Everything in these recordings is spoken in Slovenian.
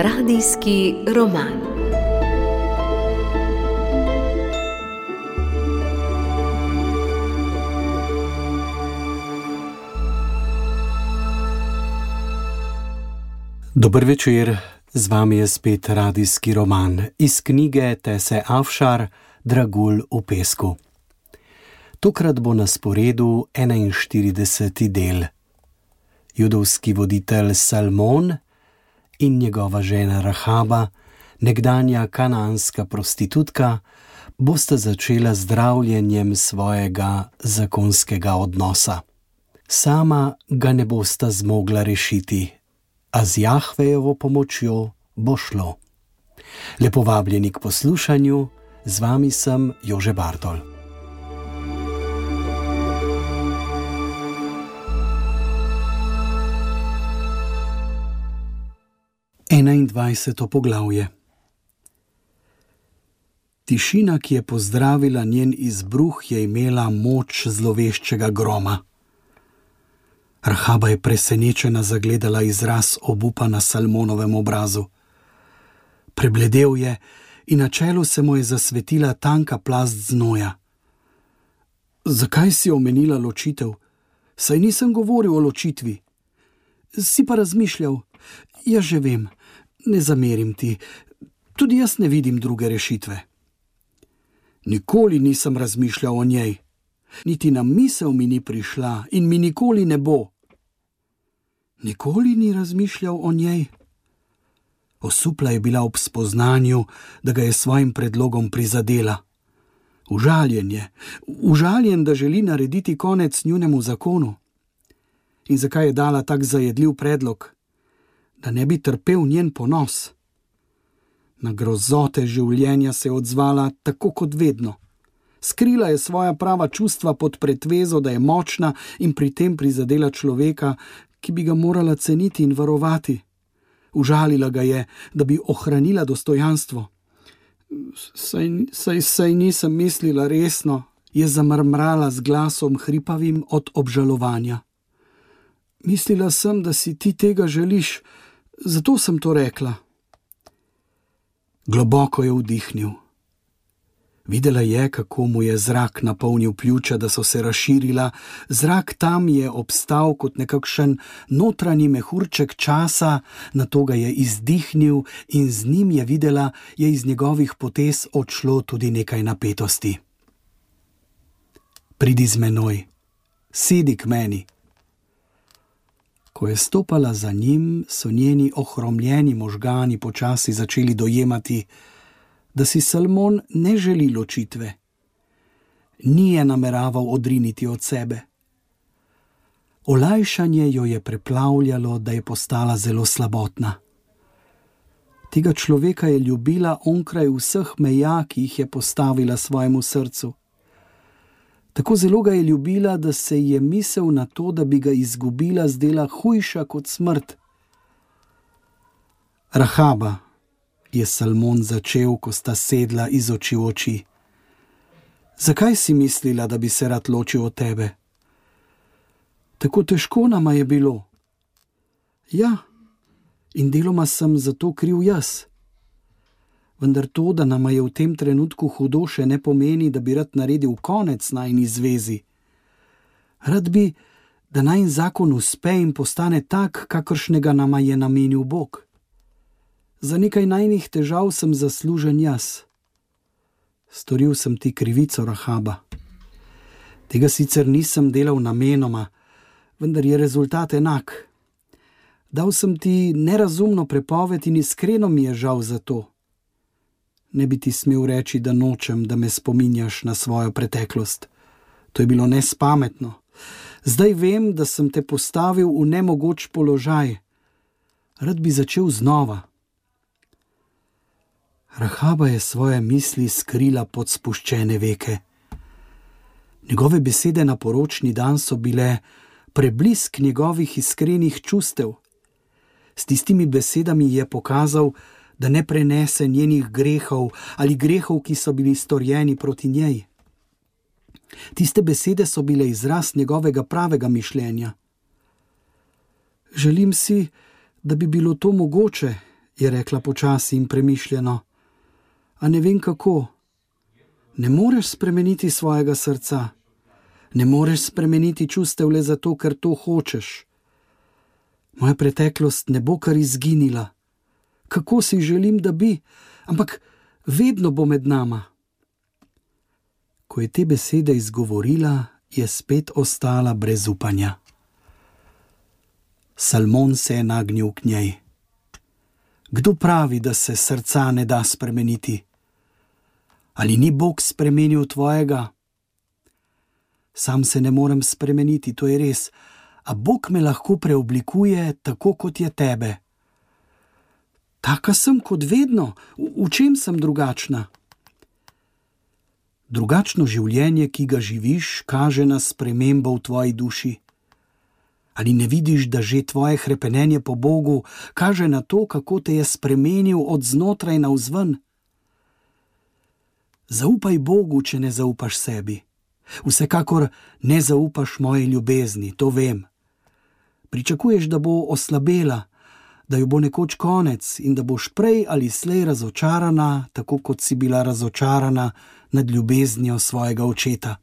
Radijski roman. Dober večer, z vami je spet radijski roman iz knjige Tese Afšar Dragulj v pesku. Tokrat bo na sporedu 41. del. Judovski voditelj Salmon in njegova žena Rahaba, nekdanja kanaanska prostitutka, bosta začela zdravljenjem svojega zakonskega odnosa. Sama ga ne bosta zmogla rešiti, a z Jahvejevo pomočjo bo šlo. Lepo vabljeni k poslušanju, z vami sem Jože Bartol. Enaindvajseto poglavje. Tišina, ki je pozdravila njen izbruh, je imela moč zloveščega groma. Rahaba je presenečena zagledala izraz obupa na Salmonovem obrazu. Prebledel je in na čelu se mu je zasvetila tanka plast znoja. Zakaj si omenila ločitev? Saj nisem govoril o ločitvi. Si pa razmišljal. Ja, že vem, ne zamerim ti. Tudi jaz ne vidim druge rešitve. Nikoli nisem razmišljal o njej. Niti na misel mi ni prišla in mi nikoli ne bo. Nikoli ni razmišljal o njej? Osupla je bila ob spoznanju, da ga je svojim predlogom prizadela. Užaljen, da želi narediti konec njunemu zakonu. In zakaj je dala tak zajedljiv predlog? Da ne bi trpel njen ponos. Na grozote življenja se je odzvala tako kot vedno. Skrila je svoja prava čustva pod pretvezo, da je močna in pri tem prizadela človeka, ki bi ga morala ceniti in varovati. Užalila ga je, da bi ohranila dostojanstvo. Saj nisem mislila resno, je zamrmrala z glasom hripavim od obžalovanja. Mislila sem, da si ti tega želiš, zato sem to rekla. Globoko je vdihnil. Videla je, kako mu je zrak napolnil pljuča, da so se razširila. Zrak tam je obstal kot nekakšen notranji mehurček časa, nato ga je izdihnil in z njim je videla, je iz njegovih potez odšlo tudi nekaj napetosti. Pridi z menoj, sedi k meni. Ko je stopala za njim, so njeni ohromljeni možgani počasi začeli dojemati, da si Salmon ne želi ločitve. Ni je nameraval odriniti od sebe. Olajšanje jo je preplavljalo, da je postala zelo slabotna. Tega človeka je ljubila onkraj vseh meja, ki jih je postavila svojemu srcu. Tako zelo ga je ljubila, da se je misel na to, da bi ga izgubila, zdela hujša kot smrt. Rahaba, je Salmon začel, ko sta sedla iz oči v oči. Zakaj si mislila, da bi se rad ločil od tebe? Tako težko nama je bilo. Ja, in deloma sem zato kriv jaz. Vendar to, da nama je v tem trenutku hudo, še ne pomeni, da bi rad naredil konec najini zvezi. Rad bi, da najin zakon uspe in postane tak, kakršnega nama je namenil Bog. Za nekaj najnih težav sem zaslužen jaz. Storil sem ti krivico, Rahaba. Tega sicer nisem delal namenoma, vendar je rezultat enak. Dal sem ti nerazumno prepoved in iskreno mi je žal za to. Ne bi ti smel reči, da nočem, da me spominjaš na svojo preteklost. To je bilo nespametno. Zdaj vem, da sem te postavil v nemogoč položaj. Rad bi začel znova. Rahaba je svoje misli skrila pod spuščene veke. Njegove besede na poročni dan so bile preblisk njegovih iskrenih čustev. S tistimi besedami je pokazal, da ne prenese njenih grehov ali grehov, ki so bili storjeni proti njej. Tiste besede so bile izraz njegovega pravega mišljenja. Želim si, da bi bilo to mogoče, je rekla počasi in premišljeno, a ne vem kako. Ne moreš spremeniti svojega srca. Ne moreš spremeniti čustev le zato, ker to hočeš. Moja preteklost ne bo kar izginila. Kako si želim, da bi, ampak vedno bo med nama. Ko je te besede izgovorila, je spet ostala brez upanja. Salmon se je nagnil k njej. Kdo pravi, da se srca ne da spremeniti? Ali ni Bog spremenil tvojega? Sam se ne morem spremeniti, to je res, a Bog me lahko preoblikuje tako, kot je tebe. Taka sem kot vedno, v čem sem drugačna? Drugačno življenje, ki ga živiš, kaže na spremembo v tvoji duši. Ali ne vidiš, da že tvoje hrepenenje po Bogu kaže na to, kako te je spremenil od znotraj navzven? Zaupaj Bogu, če ne zaupaš sebi. Vsekakor ne zaupaš moji ljubezni, to vem. Pričakuješ, da bo oslabela, da jo bo nekoč konec in da boš prej ali slej razočarana, tako kot si bila razočarana nad ljubeznijo svojega očeta.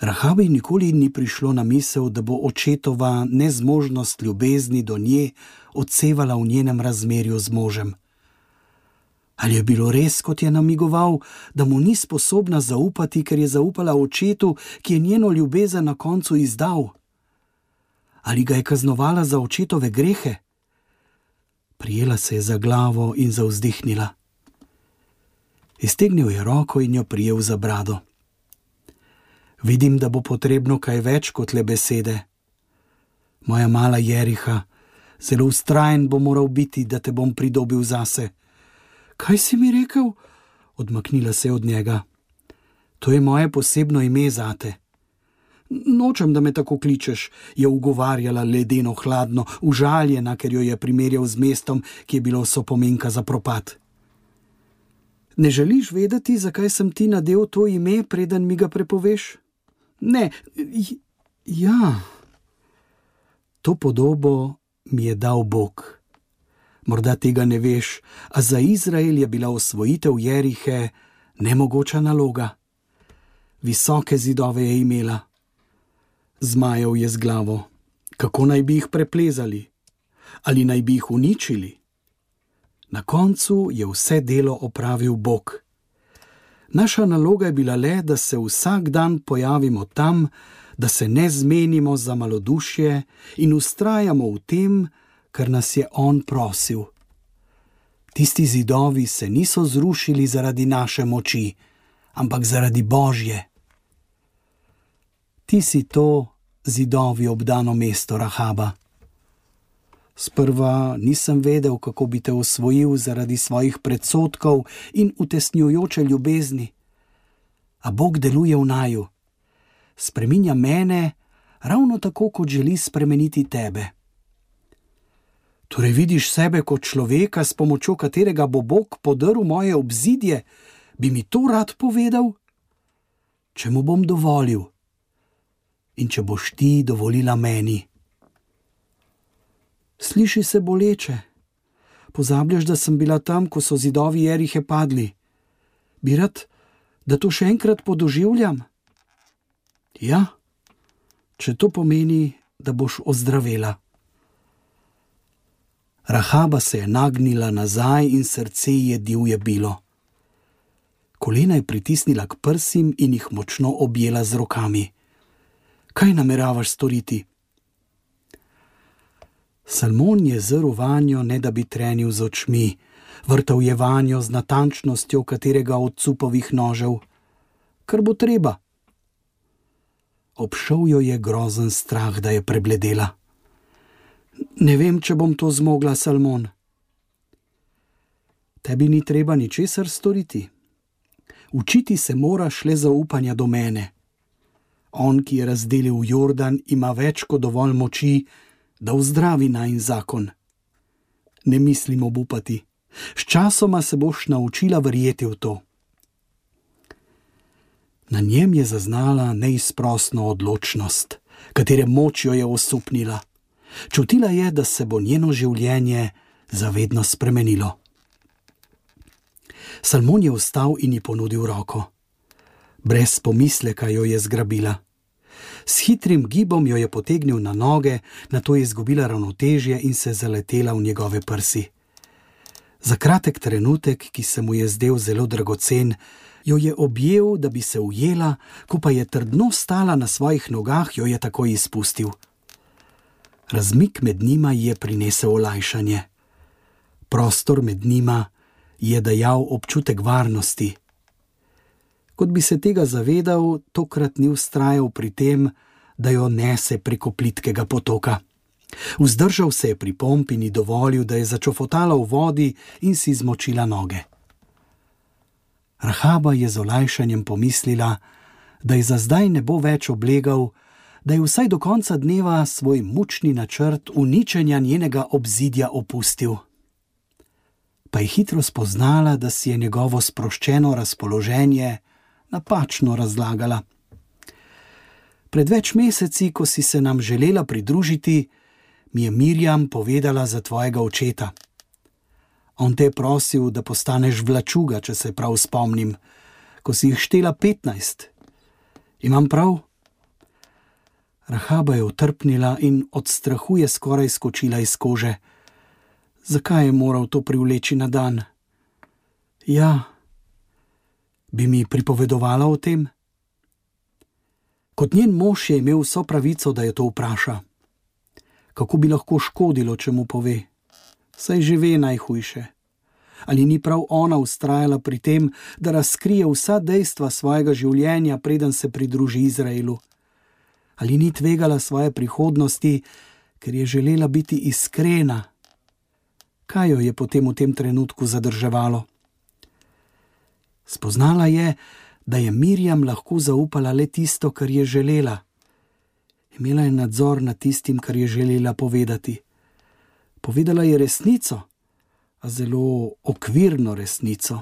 Rahabi nikoli ni prišlo na misel, da bo očetova nezmožnost ljubezni do nje odsevala v njenem razmerju z možem. Ali je bilo res, kot je namigoval, da mu ni sposobna zaupati, ker je zaupala očetu, ki je njeno ljubezen na koncu izdal? Ali ga je kaznovala za očetove grehe? Prijela se je za glavo in zavzdihnila. Iztegnil je roko in jo prijel za brado. Vidim, da bo potrebno kaj več kot le besede. Moja mala Jeriha, zelo vztrajen bo moral biti, da te bom pridobil zase. Kaj si mi rekel? Odmaknila se je od njega. To je moje posebno ime zate. Nočem, da me tako kličeš, je ugovarjala ledeno hladno, užaljena, ker jo je primerjal z mestom, ki je bilo sopomenka za propad. Ne želiš vedeti, zakaj sem ti nadel to ime, preden mi ga prepoveš? Ne, ja. To podobo mi je dal Bog. Morda tega ne veš, a za Izrael je bila osvojitev Jerihe nemogoča naloga. Visoke zidove je imela. Zmajal je z glavo. Kako naj bi jih preplezali? Ali naj bi jih uničili? Na koncu je vse delo opravil Bog. Naša naloga je bila le, da se vsak dan pojavimo tam, da se ne zmenimo za malodušje in vztrajamo v tem, kar nas je on prosil. Tisti zidovi se niso zrušili zaradi naše moči, ampak zaradi Božje. Ti si to zidovi obdano mesto Rahaba. Sprva nisem vedel, kako bi te osvojil zaradi svojih predsodkov in utesnjujoče ljubezni. A Bog deluje v naju. Spreminja mene ravno tako, kot želi spremeniti tebe. Torej vidiš sebe kot človeka, s pomočjo katerega bo Bog podrl moje obzidje? Bi mi to rad povedal? Če mu bom dovolil in če boš ti dovolila meni. Sliši se boleče. Pozabljaš, da sem bila tam, ko so zidovi Jerihe padli. Bi rad, da to še enkrat podoživljam? Ja, če to pomeni, da boš ozdravela. Rahaba se je nagnila nazaj in srce ji je divje bilo. Kolena je pritisnila k prsim in jih močno objela z rokami. Kaj nameravaš storiti? Salmon je zrl vanjo, ne da bi trenil z očmi, vrtal je vanjo z natančnostjo katerega od cupovih nožev. Kar bo treba. Obšel jo je grozen strah, da je prebledela. Ne vem, če bom to zmogla, Salmon. Tebi ni treba ničesar storiti. Učiti se moraš le zaupanja do mene. On, ki je razdelil Jordan, ima več kot dovolj moči, da vzdravi najin zakon. Ne mislim obupati. Sčasoma se boš naučila verjeti v to. Na njem je zaznala neizprosno odločnost, katere moč jo je osupnila. Čutila je, da se bo njeno življenje zavedno spremenilo. Salmon je vstal in ji ponudil roko. Brez pomisleka jo je zgrabila. S hitrim gibom jo je potegnil na noge, nato je izgubila ravnotežje in se zaletela v njegove prsi. Za kratek trenutek, ki se mu je zdel zelo dragocen, jo je objel, da bi se ujela, ko pa je trdno stala na svojih nogah, jo je takoj izpustil. Razmik med njima je prinesel olajšanje. Prostor med njima je dajal občutek varnosti. Kot bi se tega zavedal, tokrat ni vztrajal pri tem, da jo nese preko plitkega potoka. Vzdržal se je pri pompi in ji dovolil, da je začofotala v vodi in si zmočila noge. Rahaba je z olajšanjem pomislila, da je za zdaj ne bo več oblegal, da je vsaj do konca dneva svoj mučni načrt uničenja njenega obzidja opustil. Pa je hitro spoznala, da si je njegovo sproščeno razpoloženje napačno razlagala. Pred več meseci, ko si se nam želela pridružiti, mi je Mirjam povedala za tvojega očeta. On te je prosil, da postaneš vlačuga, če se prav spomnim, ko si jih štela 15. Imam prav? Rahaba je utrpnila in od strahu je skoraj skočila iz kože. Zakaj je moral to privleči na dan? Ja, bi mi pripovedovala o tem? Kot njen mož je imel vso pravico, da jo to vpraša. Kako bi lahko škodilo, če mu pove? Saj že ve najhujše. Ali ni prav ona vztrajala pri tem, da razkrije vsa dejstva svojega življenja, preden se pridruži Izraelu? Ali ni tvegala svoje prihodnosti, ker je želela biti iskrena? Kaj jo je potem v tem trenutku zadrževalo? Spoznala je, da je Mirjam lahko zaupala le tisto, kar je želela. Imela je nadzor nad tistim, kar je želela povedati. Povedala je resnico, a zelo okvirno resnico.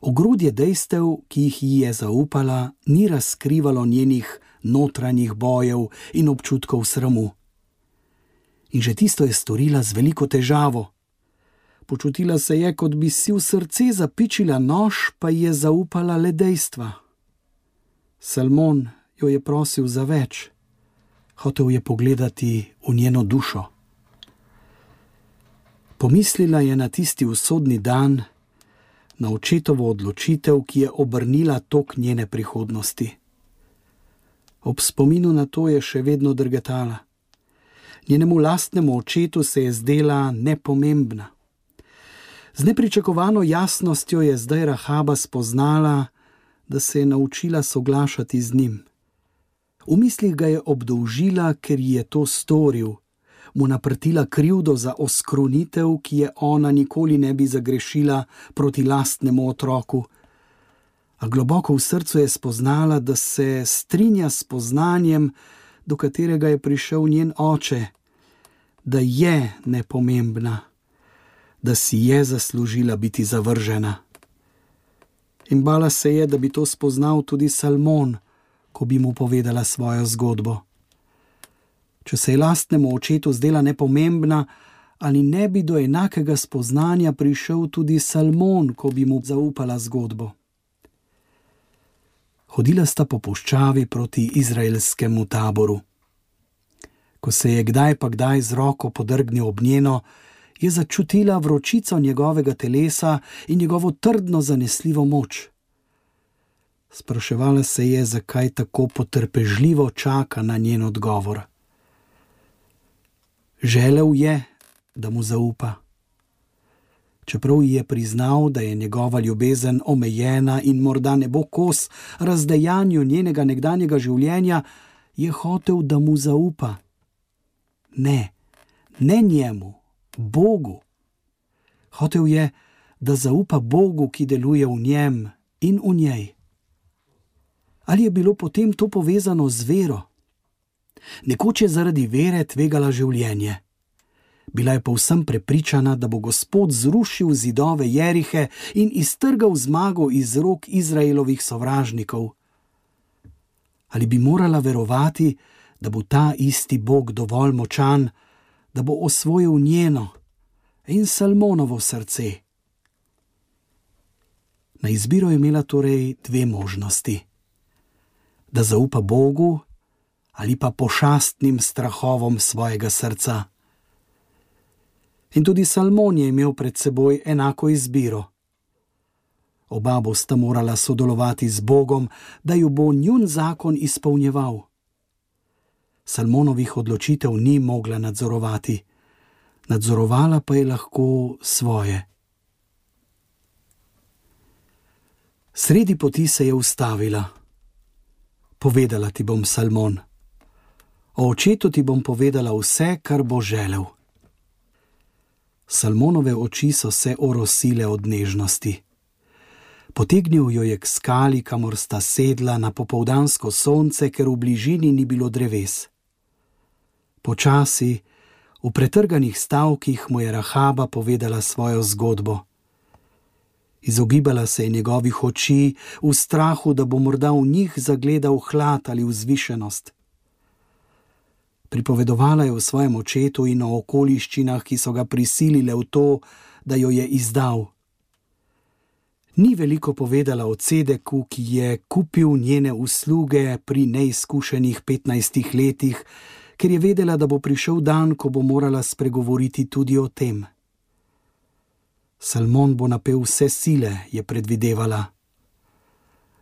Ogrodje dejstev, ki jih ji je zaupala, ni razkrivalo njenih notranjih bojev in občutkov sramu. In že tisto je storila z veliko težavo. Počutila se je, kot bi si v srce zapičila nož, pa je zaupala le dejstva. Salmon jo je prosil za več. Hotel je pogledati v njeno dušo. Pomislila je na tisti usodni dan, na očetovo odločitev, ki je obrnila tok njene prihodnosti. Ob spominu na to je še vedno drgetala. Njenemu lastnemu očetu se je zdela nepomembna. Z nepričakovano jasnostjo je zdaj Rahaba spoznala, da se je naučila soglašati z njim. V mislih ga je obdolžila, ker ji je to storil, mu naprtila krivdo za oskrunitev, ki je ona nikoli ne bi zagrešila proti lastnemu otroku. A globoko v srcu je spoznala, da se strinja s spoznanjem, do katerega je prišel njen oče, da je nepomembna, da si je zaslužila biti zavržena. In bala se je, da bi to spoznal tudi Salmon, ko bi mu povedala svojo zgodbo. Če se je lastnemu očetu zdela nepomembna, ali ne bi do enakega spoznanja prišel tudi Salmon, ko bi mu zaupala zgodbo. Hodila sta po puščavi proti izraelskemu taboru. Ko se je kdaj pa kdaj z roko podrgnil ob njeno, je začutila vročico njegovega telesa in njegovo trdno zanesljivo moč. Spraševala se je, zakaj tako potrpežljivo čaka na njen odgovor. Želel je, da mu zaupa. Čeprav ji je priznal, da je njegova ljubezen omejena in morda ne bo kos razdejanju njenega nekdanjega življenja, je hotel, da mu zaupa. Ne njemu, Bogu. Hotel je, da zaupa Bogu, ki deluje v njem in v njej. Ali je bilo potem to povezano z vero? Nekoč je zaradi vere tvegala življenje. Bila je povsem prepričana, da bo Gospod zrušil zidove Jerihe in iztrgal zmago iz rok Izraelovih sovražnikov. Ali bi morala verovati, da bo ta isti Bog dovolj močan, da bo osvojil njeno in Salmonovo srce. Na izbiro je imela torej dve možnosti: da zaupa Bogu ali pa pošastnim strahovom svojega srca. In tudi Salmon je imel pred seboj enako izbiro. Oba bosta morala sodelovati z Bogom, da ju bo njun zakon izpolnjeval. Salmonovih odločitev ni mogla nadzorovati, nadzorovala pa je lahko svoje. Sredi poti se je ustavila. Povedala ti bom, Salmon. O očetu ti bom povedala vse, kar bo želel. Salmonove oči so se orosile od nežnosti. Potegnil jo je k skali, kamor sta sedla na popoldansko sonce, ker v bližini ni bilo dreves. Počasi, v pretrganih stavkih mu je Rahaba povedala svojo zgodbo. Izogibala se je njegovih oči v strahu, da bo morda v njih zagledal hlad ali vzvišenost. Pripovedovala je o svojem očetu in o okoliščinah, ki so ga prisilile v to, da jo je izdal. Ni veliko povedala o Cedeku, ki je kupil njene usluge pri neizkušenih 15 letih, ker je vedela, da bo prišel dan, ko bo morala spregovoriti tudi o tem. Salmon bo napel vse sile, je predvidevala.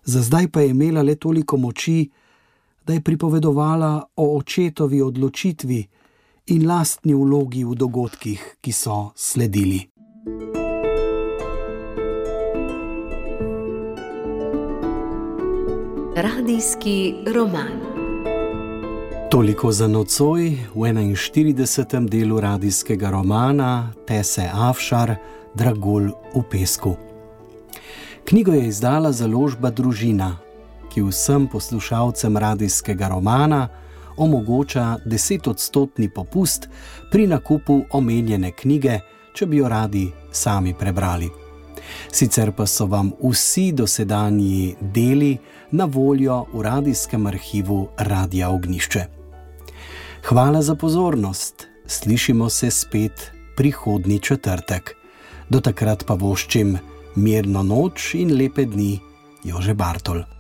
Za zdaj pa je imela le toliko moči, da je pripovedovala o očetovi odločitvi in lastni vlogi v dogodkih, ki so sledili. Radijski roman. Toliko za nocoj v 41. delu radijskega romana Tese Afšar Dragulj v pesku. Knjigo je izdala založba Družina, ki vsem poslušalcem radijskega romana omogoča 10% popust pri nakupu omenjene knjige, če bi jo radi sami prebrali. Sicer pa so vam vsi dosedanji deli na voljo v radijskem arhivu Radia Ognjišče. Hvala za pozornost, slišimo se spet prihodnji četrtek. Do takrat pa voščim mirno noč in lepe dni, Jože Bartol.